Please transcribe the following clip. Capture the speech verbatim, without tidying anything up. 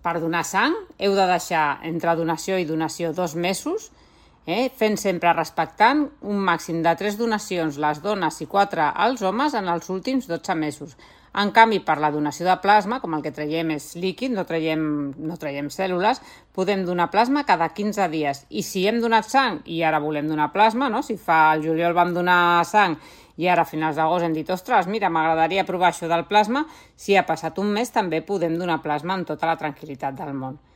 per donar sang heu de deixar entre donació i donació dos mesos, eh? fent sempre respectant un màxim de tres donacions les dones i quatre els homes en els últims dotze mesos. En canvi, per la donació de plasma, com el que traiem és líquid, no traiem, no traiem cèl·lules, podem donar plasma cada quinze dies. I si hem donat sang i ara volem donar plasma, no? Si fa el juliol vam donar sang i ara a finals d'agost hem dit, ostres, mira, m'agradaria provar això del plasma, si ha passat un mes també podem donar plasma amb tota la tranquil·litat del món.